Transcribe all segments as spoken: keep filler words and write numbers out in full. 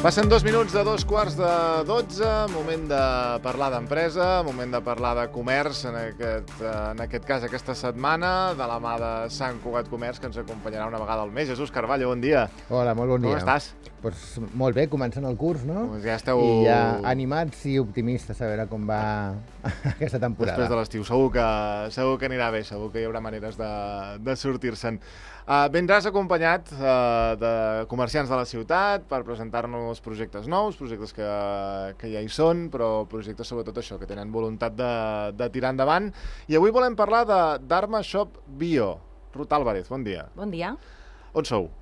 Passen dos minuts de dos quarts de dotze, moment de parlar d'empresa, moment de parlar de comerç, en aquest, en aquest cas aquesta setmana, de la mà de Sant Cugat Comerç, que ens acompanyarà una vegada al mes. Jesús Carballo, bon dia. Hola, molt bon dia. Com estàs? Pues molt bé, començant el curs, no? Pues ja esteu... I ja animats i optimistes a veure com va aquesta temporada. Després de l'estiu, segur que, segur que anirà bé, segur que hi haurà maneres de, de sortir-se'n. Uh, vindràs acompanyat uh, de comerciants de la ciutat per presentar-nos projectes nous, projectes que, que ja hi són, però projectes sobretot això, que tenen voluntat de, de tirar endavant. I avui volem parlar de Dharma Shop Bio. Ruth Álvarez, bon dia. Bon dia. On sou?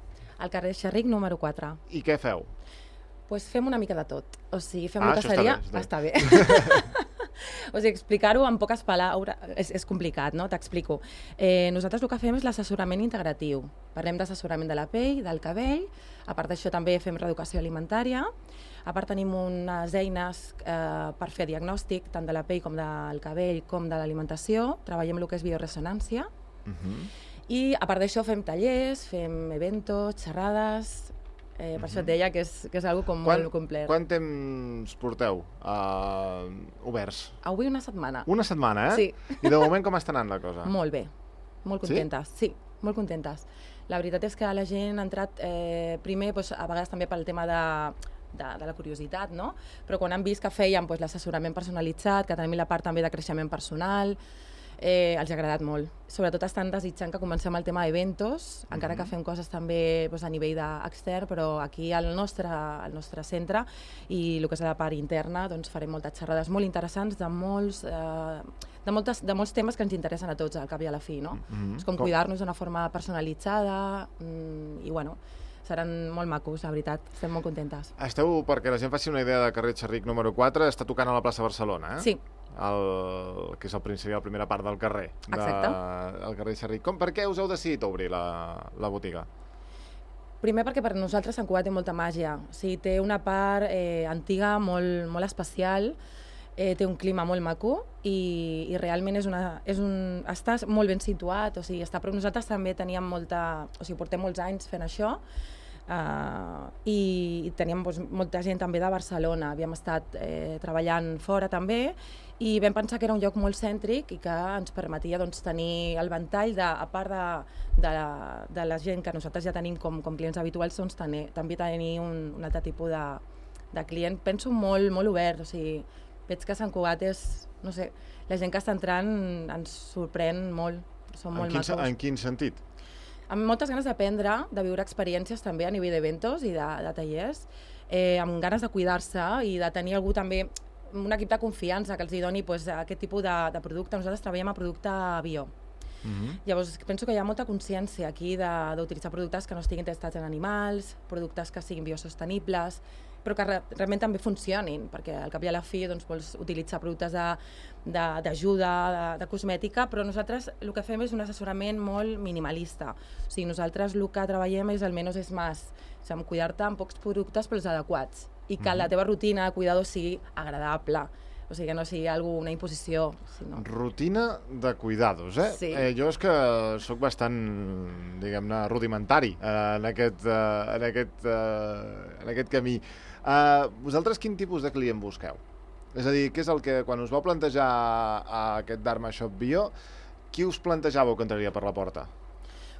Al carrer Xerric, número quatre. I què feu? Pues fem una mica de tot. O sigui, fem ah, lotasseria... Està bé. Està bé. O sigui, explicar-ho en poques paraules és, és complicat, no? T'explico. Eh, nosaltres el que fem és l'assessorament integratiu. Parlem d'assessorament de la pell, del cabell, a part d'això també fem reeducació alimentària, a part tenim unes eines eh, per fer diagnòstic tant de la pell com del cabell com de l'alimentació, treballem el que és bioresonància, uh-huh. I a part d'això fem tallers, fem eventos, xerrades... Eh, per uh-huh. això et deia que és, que és algo com quan, molt complet. Quant temps porteu uh, oberts? Avui una setmana. Una setmana, eh? Sí. I de moment com està anant la cosa? Molt bé, molt contentes. Sí? Sí, molt contentes. La veritat és que la gent ha entrat eh, primer, doncs, a vegades també pel tema de, de, de la curiositat, no? Però quan han vist que fèiem doncs, l'assessorament personalitzat, que tenim la part també de creixement personal, Eh, els ha agradat molt. Sobretot estan desitjant que comencem el tema d'eventos, mm-hmm. encara que fem coses també doncs, a nivell extern, però aquí al nostre, al nostre centre i el que és la part interna doncs, farem moltes xerrades molt interessants de molts, eh, de, moltes, de molts temes que ens interessen a tots al cap i a la fi. No? Mm-hmm. És com, com cuidar-nos d'una forma personalitzada mm, i bueno, seran molt macos, la veritat, estem molt contentes. Esteu, perquè la gent faci una idea de carrer Xerric número quatre, està tocant a la plaça Barcelona, eh? Sí. El, que és el principi, la primera part del carrer. Exacte. De, el carrer Xerric. Com, per què us heu decidit obrir la, la botiga? Primer perquè per nosaltres Sant Cugat té molta màgia. O sigui, té una part eh, antiga molt, molt especial, eh, té un clima molt maco i, i realment és una, és un, està molt ben situat. O sigui, està, però nosaltres també teníem molta... O sigui, portem molts anys fent això. Uh, i, i teníem doncs, molta gent també de Barcelona, havíem estat eh, treballant fora també i vam pensar que era un lloc molt cèntric i que ens permetia doncs, tenir el ventall de, a part de, de, de la gent que nosaltres ja tenim com, com clients habituals, doncs, tenir, també tenir un, un altre tipus de, de client, penso molt, molt obert, o sigui, veig que Sant Cugat és, no sé, la gent que està entrant ens sorprèn molt, són molt en quin, macos. En quin sentit? Amb moltes ganes d'aprendre, de viure experiències també a nivell d'eventos i de, de tallers, eh, amb ganes de cuidar-se i de tenir algú també, un equip de confiança que els hi doni pues, aquest tipus de, de producte. Nosaltres treballem a producte bio. Uh-huh. Llavors penso que hi ha molta consciència aquí d'utilitzar productes que no estiguin testats en animals, productes que siguin biosostenibles, però que re realment també funcionin, perquè al cap i a la fi doncs, vols utilitzar productes d'ajuda, de, de, de cosmètica, però nosaltres el que fem és un assessorament molt minimalista. O sigui, nosaltres el que treballem és el menys és més, o sigui, cuidar-te amb pocs productes però els adequats, i que mm-hmm. la teva rutina de cuidado sigui agradable, o sigui, que no sigui algú, una imposició. Sinó... Rutina de cuidados, eh? Sí. eh jo és que sóc bastant, diguem-ne, rudimentari eh, en, aquest, eh, en, aquest, eh, en aquest camí. Eh, vosaltres quin tipus de client busqueu? És a dir, què és el que, quan us vau plantejar a aquest Dharma Shop Bio, qui us plantejàveu que entraria per la porta?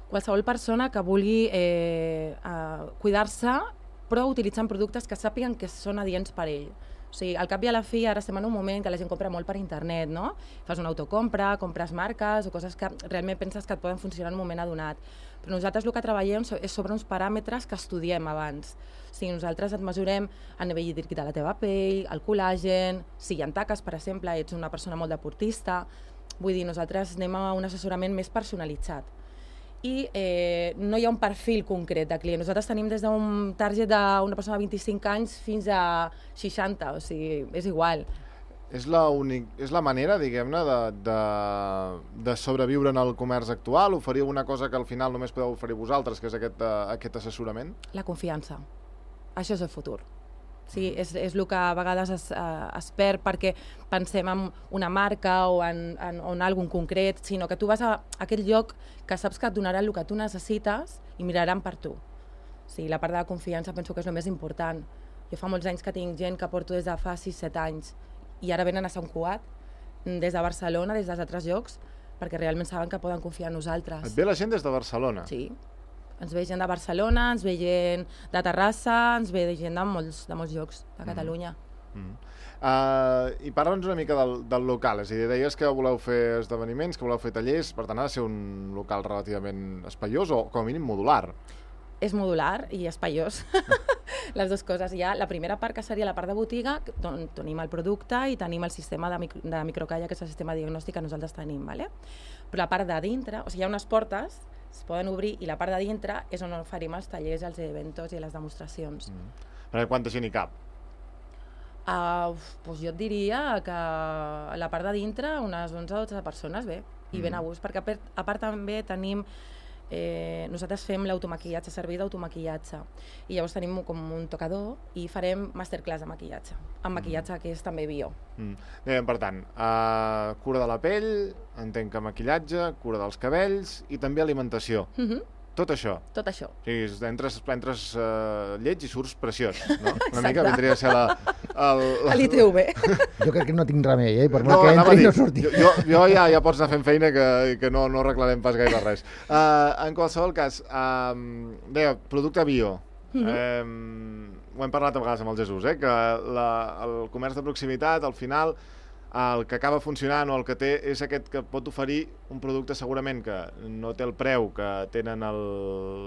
Qualsevol persona que vulgui eh, eh, cuidar-se, però utilitzant productes que sàpiguen que són adients per ell. O sigui, al cap i a la fi, ara estem en un moment que la gent compra molt per internet, no? Fas una autocompra, compres marques o coses que realment penses que et poden funcionar en un moment adonat. Però nosaltres el que treballem és sobre uns paràmetres que estudiem abans. O sigui, nosaltres et mesurem a nivell hídric de la teva pell, el col·làgen, si hi ha taques, per exemple, ets una persona molt deportista. Vull dir, nosaltres anem a un assessorament més personalitzat. I eh, no hi ha un perfil concret de client. Nosaltres tenim des d'un target d'una persona de vint-i-cinc anys fins a seixanta, o sigui, és igual. És la, únic, és la manera, diguem-ne, de, de, de sobreviure en el comerç actual? Oferir una cosa que al final només podeu oferir vosaltres, que és aquest, uh, aquest assessorament? La confiança. Això és el futur. Sí, és, és el que a vegades es, eh, es perd perquè pensem en una marca o en, en, en algun concret, sinó que tu vas a aquest lloc que saps que et donaran el que tu necessites i miraran per tu. Sí, la part de la confiança penso que és el més important. Jo fa molts anys que tinc gent que porto des de fa sis set anys i ara venen a Sant Cugat, des de Barcelona, des dels altres llocs, perquè realment saben que poden confiar en nosaltres. Et ve la gent des de Barcelona? Sí. Ens ve gent de Barcelona, ens ve gent de Terrassa, ens ve gent de molts, de molts llocs de Catalunya. Mm. Mm. Uh, I parla'ns una mica del, del local, és a dir, deies que voleu fer esdeveniments, que voleu fer tallers, per tant ha de ser un local relativament espaiós o com a mínim modular. És modular i espaiós, les dues coses. Hi ha la primera part, que seria la part de botiga, on tenim el producte i tenim el sistema de, micro, de microcalla, que és el sistema diagnòstic que nosaltres tenim, ¿vale? Però la part de dintre, o sigui, hi ha unes portes, es poden obrir, i la part de dintre és on oferim els tallers, els eventos i les demostracions. Mm. Perquè quanta gent hi cap? Uh, doncs jo et diria que a la part de dintre unes onze o dotze persones, bé, i mm. ben a gust, perquè a part, a part també tenim, eh, nosaltres fem l'automaquillatge, servei d'automaquillatge, i llavors tenim com un tocador i farem masterclass de maquillatge, amb maquillatge mm. que és també bio. Mm. Bé, per tant, uh, cura de la pell, entenc que maquillatge, cura dels cabells i també alimentació. Mm-hmm. Tot això? Tot això. O sigui, entres, entres uh, lleig i surts preciós, no? Una mica vindria a ser la... El, la... l'I T V. Jo crec que no tinc remei, eh? Per no, que entri i no surti. Jo, jo, jo ja, ja pots anar fent feina que, que no, no arreglarem pas gaire res. Uh, en qualsevol cas, uh, deia, producte bio. Mm-hmm. um, ho hem parlat a vegades amb el Jesús, eh? Que la, el comerç de proximitat, al final, el que acaba funcionant o el que té és aquest que pot oferir un producte segurament que no té el preu que tenen el,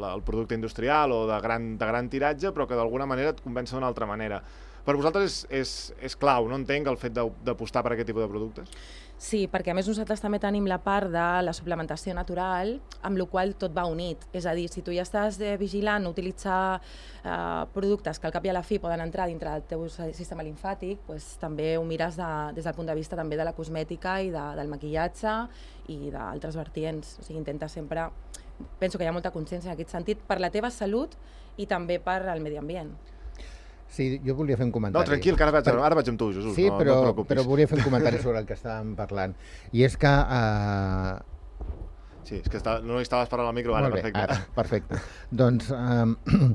el producte industrial o de gran, de gran tiratge, però que d'alguna manera et convença d'una altra manera. Per vosaltres és, és, és clau, no entenc, el fet d'apostar per aquest tipus de productes? Sí, perquè a més nosaltres també tenim la part de la suplementació natural, amb la qual tot va unit. És a dir, si tu ja estàs eh, vigilant utilitzar eh, productes que al cap i a la fi poden entrar dintre del teu sistema limfàtic, pues, també ho mires de, des del punt de vista també de la cosmètica i de, del maquillatge i d'altres vertients. O sigui, intenta sempre... Penso que hi ha molta consciència en aquest sentit per la teva salut i també per al medi ambient. Sí, jo volia fer un comentari. No, tranquil, que ara vaig, ara vaig amb tu, Jesús. Sí, no, però, no et preocupis. però volia fer un comentari sobre el que estàvem parlant. I és que... Uh... Sí, és que està, no hi estaves parlant al micro, ara, Molt bé, perfecte. Ara, perfecte. Doncs uh,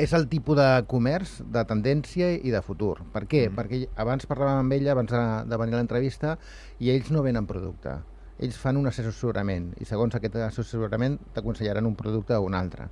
és el tipus de comerç, de tendència i de futur. Per què? Mm. Perquè abans parlàvem amb ella, abans de, de venir a l'entrevista, i ells no venen producte. Ells fan un assessorament i segons aquest assessorament t'aconsellaran un producte o un altre.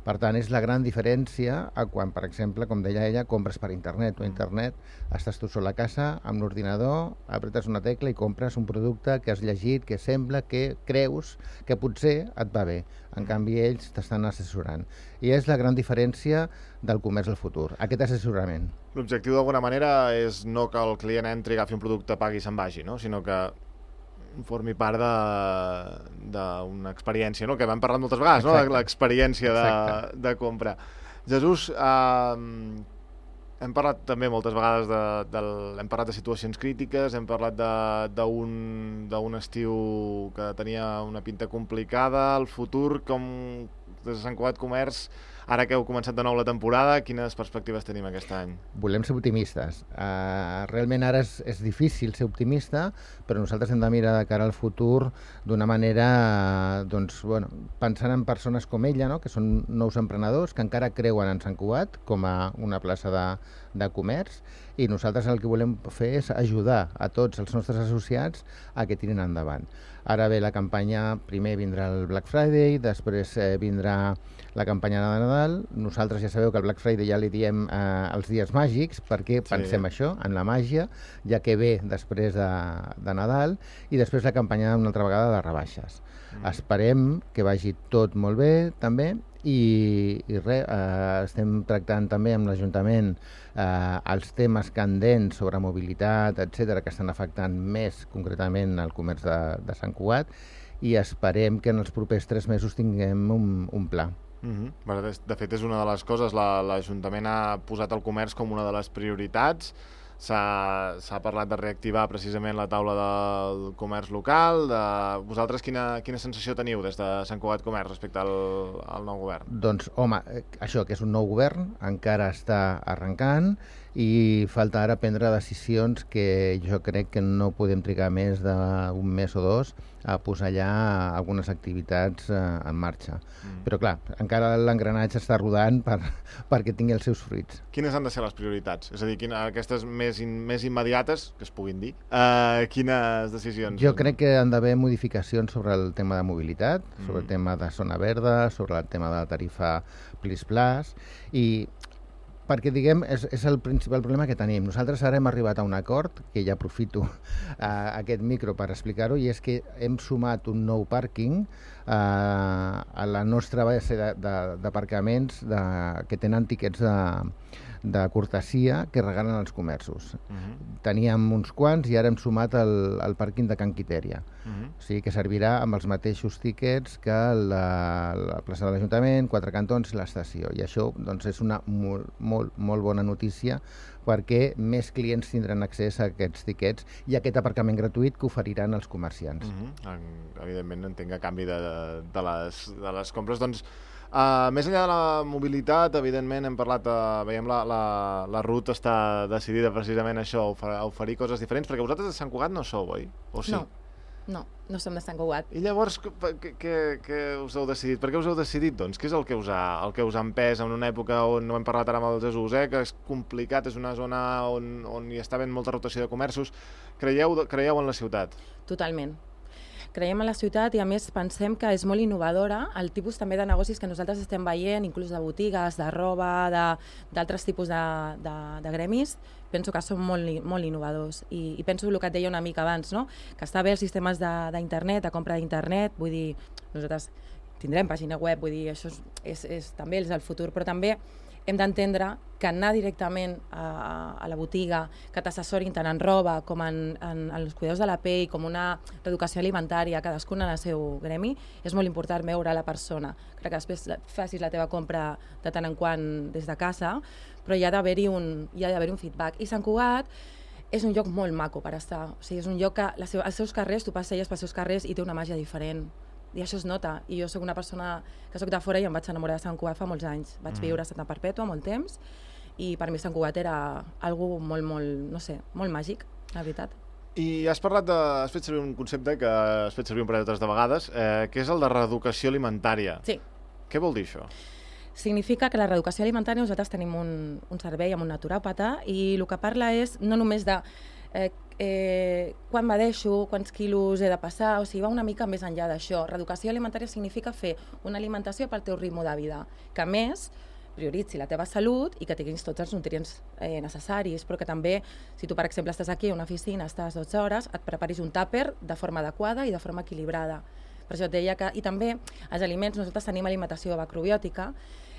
Per tant, és la gran diferència a quan, per exemple, com deia ella, compres per internet. O internet, estàs tu sol a casa, amb l'ordinador, apretes una tecla i compres un producte que has llegit, que sembla, que creus que potser et va bé. En canvi, ells t'estan assessorant. I és la gran diferència del comerç del futur, aquest assessorament. L'objectiu, d'alguna manera, és no que el client entri, agafi un producte, pagui i se'n vagi, no? Sinó que formi part d'una experiència, no? Que vam parlar moltes vegades, no? L'experiència de, de compra. Jesús, eh, hem parlat també moltes vegades de, de, hem parlat de situacions crítiques, hem parlat d'un estiu que tenia una pinta complicada, el futur, com des de Sant Cugat Comerç, ara que heu començat de nou la temporada, quines perspectives tenim aquest any? Volem ser optimistes. Uh, realment ara és, és difícil ser optimista, però nosaltres hem de mirar de cara al futur d'una manera, doncs, bueno, pensant en persones com ella, no? Que són nous emprenedors, que encara creuen en Sant Cugat com a una plaça de, de comerç, i nosaltres el que volem fer és ajudar a tots els nostres associats a que tirin endavant. Ara ve la campanya, primer vindrà el Black Friday, després eh, vindrà la campanya de Nadal. Nosaltres ja sabeu que el Black Friday ja li diem eh, els dies màgics, perquè sí. Pensem això, en la màgia, ja que ve després de, de Nadal, i després la campanya una altra vegada de rebaixes. Mm. Esperem que vagi tot molt bé, també, i, i res, eh, estem tractant també amb l'Ajuntament eh, els temes candents sobre mobilitat, etcètera, que estan afectant més concretament el comerç de, de Sant Cugat, i esperem que en els propers tres mesos tinguem un, un pla. Mm-hmm. De fet, és una de les coses, l'Ajuntament ha posat el comerç com una de les prioritats. S'ha parlat de reactivar precisament la taula del comerç local. De... Vosaltres quina, quina sensació teniu des de Sant Cugat Comerç respecte al, al nou govern? Doncs, home, això que és un nou govern, encara està arrencant i falta ara prendre decisions que jo crec que no podem trigar més d'un mes o dos a posar allà algunes activitats eh, en marxa. Mm. Però clar, encara l'engranatge està rodant per, perquè tingui els seus fruits. Quines han de ser les prioritats? És a dir, quina, aquestes més, in, més immediates, que es puguin dir, uh, quines decisions? Jo crec que han d'haver modificacions sobre el tema de mobilitat, mm. sobre el tema de zona verda, sobre el tema de la tarifa Plis Plus, i perquè, diguem, és, és el principal problema que tenim. Nosaltres ara hem arribat a un acord, que ja aprofito uh, aquest micro per explicar-ho, i és que hem sumat un nou pàrquing uh, a la nostra base d'aparcaments que tenen tiquets de, de cortesia que regalen els comerços. Uh-huh. Teníem uns quants i ara hem sumat el, el pàrquing de Can Quitèria. Uh-huh. O sigui que servirà amb els mateixos tiquets que la, la plaça de l'Ajuntament, Quatre Cantons i l'estació. I això doncs, és una molt, molt, molt bona notícia perquè més clients tindran accés a aquests tiquets i a aquest aparcament gratuït que oferiran els comerciants. Uh-huh. Evidentment, entenc que a canvi de, de, les, de les compres, doncs, Uh, més enllà de la mobilitat, evidentment, hem parlat, uh, veiem la, la, la Ruth està decidida precisament a això, a oferir coses diferents, perquè vosaltres de Sant Cugat no sou, oi? O sí? No, no, no som de Sant Cugat. I llavors, què, què, què us heu decidit? Per què us heu decidit, doncs? Què és el que us ha, el que us ha empès en una època on no hem parlat ara amb el Jesús, eh? Que és complicat, és una zona on, on hi està havent molta rotació de comerços. Creieu, creieu en la ciutat? Totalment. Creiem en la ciutat i a més pensem que és molt innovadora el tipus també de negocis que nosaltres estem veient, inclús de botigues, de roba, d'altres tipus de, de, de gremis. Penso que són molt, molt innovadors i, i penso el que et deia una mica abans, no? Que està bé els sistemes d'internet, de, de compra d'internet, vull dir, nosaltres tindrem pàgina web, vull dir, això és, és, és també és el futur, però també hem d'entendre que anar directament a, a la botiga, que t'assessorin tant en roba com en, en, en els cuidados de la pell, com una reeducació alimentària, cadascun en el seu gremi, és molt important veure la persona. Crec que després facis la teva compra de tant en quant des de casa, però hi ha d'haver-hi un, hi ha d'haver un feedback. I Sant Cugat és un lloc molt maco per estar. O sigui, és un lloc que les seus, els seus carrers, tu passeges pels seus carrers i té una màgia diferent. I això es nota, i jo soc una persona que soc de fora i em vaig enamorar de Sant Cugat fa molts anys. Vaig mm. viure a Santa Perpètua molt temps i per mi Sant Cugat era algo molt, molt, no sé, molt màgic, la veritat. I has parlat de, has fet servir un concepte que has fet servir un parell de vegades, eh, que és el de reeducació alimentària. Sí. Què vol dir això? Significa que la reeducació alimentària nosaltres tenim un, un servei amb un naturòpata i el que parla és no només de eh, eh, quan m'adeixo, quants quilos he de passar, o sigui, va una mica més enllà d'això. Reeducació alimentària significa fer una alimentació pel teu ritme de vida, que a més prioritzi la teva salut i que tinguis tots els nutrients eh, necessaris, però que també, si tu, per exemple, estàs aquí a una oficina, estàs dotze hores, et preparis un tàper de forma adequada i de forma equilibrada. Per això et deia que... I també els aliments, nosaltres tenim alimentació macrobiòtica,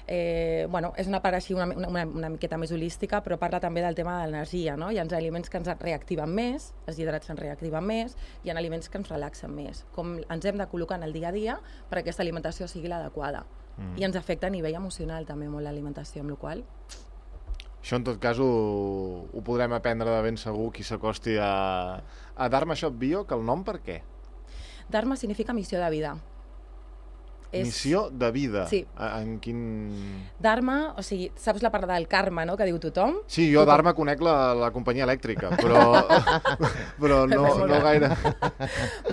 Eh, bueno, és una part així una, una, una miqueta més holística, però parla també del tema de l'energia, no? Hi ha aliments que ens reactiven més, els hidrats ens reactiven més, hi ha aliments que ens relaxen més. Com ens hem de col·locar en el dia a dia perquè aquesta alimentació sigui l'adequada. Mm. I ens afecta a nivell emocional també molt l'alimentació, amb la qual cosa... Això en tot cas ho, ho podrem aprendre de ben segur qui s'acosti a, a Dharma Shop Bio, que el nom per què? Dharma significa missió de vida. És... Missió de vida? Sí. En quin... Dharma, o sigui, saps la part del karma, no?, que diu tothom? Sí, jo tothom. Dharma conec la, la companyia elèctrica, però, però no, no gaire.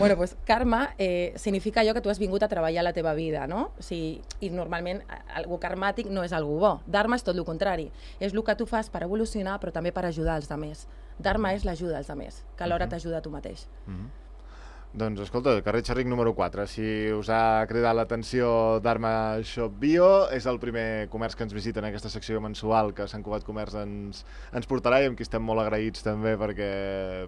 Bueno, doncs karma eh, significa allò que tu has vingut a treballar a la teva vida, no? O sigui, i normalment algú karmàtic no és algú bo. Dharma és tot el contrari. És el que tu fas per evolucionar, però també per ajudar els altres. Dharma és l'ajuda als altres, que alhora uh-huh. t'ajuda a tu mateix. Uh-huh. Doncs, escolta, carrer Xerric número quatre. Si us ha cridat l'atenció Dharma Shop Bio, és el primer comerç que ens visita en aquesta secció mensual que Sant Cugat Comerç ens, ens portarà i amb qui estem molt agraïts també perquè,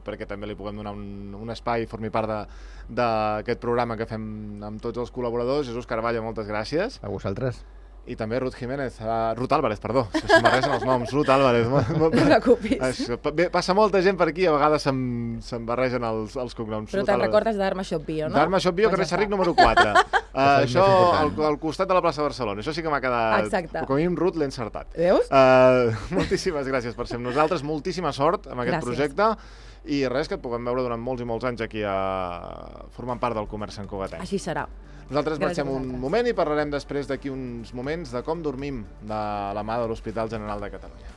perquè també li puguem donar un, un espai i formi part d'aquest programa que fem amb tots els col·laboradors. Jesús Carballo, moltes gràcies. A vosaltres. I també Ruth Jiménez, uh, Ruth Álvarez, perdó, se m'arresen els noms, Ruth Álvarez. No et preocupis. Bé, passa molta gent per aquí, a vegades se'm, se'm barregen els, els cognoms. Però te'n recordes de Dharma Shop Bio, no? Dharma Shop Bio, carrer Xerric número quatre. uh, això al, al costat de la plaça de Barcelona. Això sí que m'ha quedat... Exacte. Com a mínim, Ruth, l'he encertat. Veus? Uh, moltíssimes gràcies per ser amb nosaltres, moltíssima sort amb aquest gràcies. projecte. I res, que et puguem veure durant molts i molts anys aquí a... formant part del comerç santcugatenc. Així serà. Nosaltres marxem un moment i parlarem després d'aquí uns moments de com dormim de la mà de l'Hospital General de Catalunya.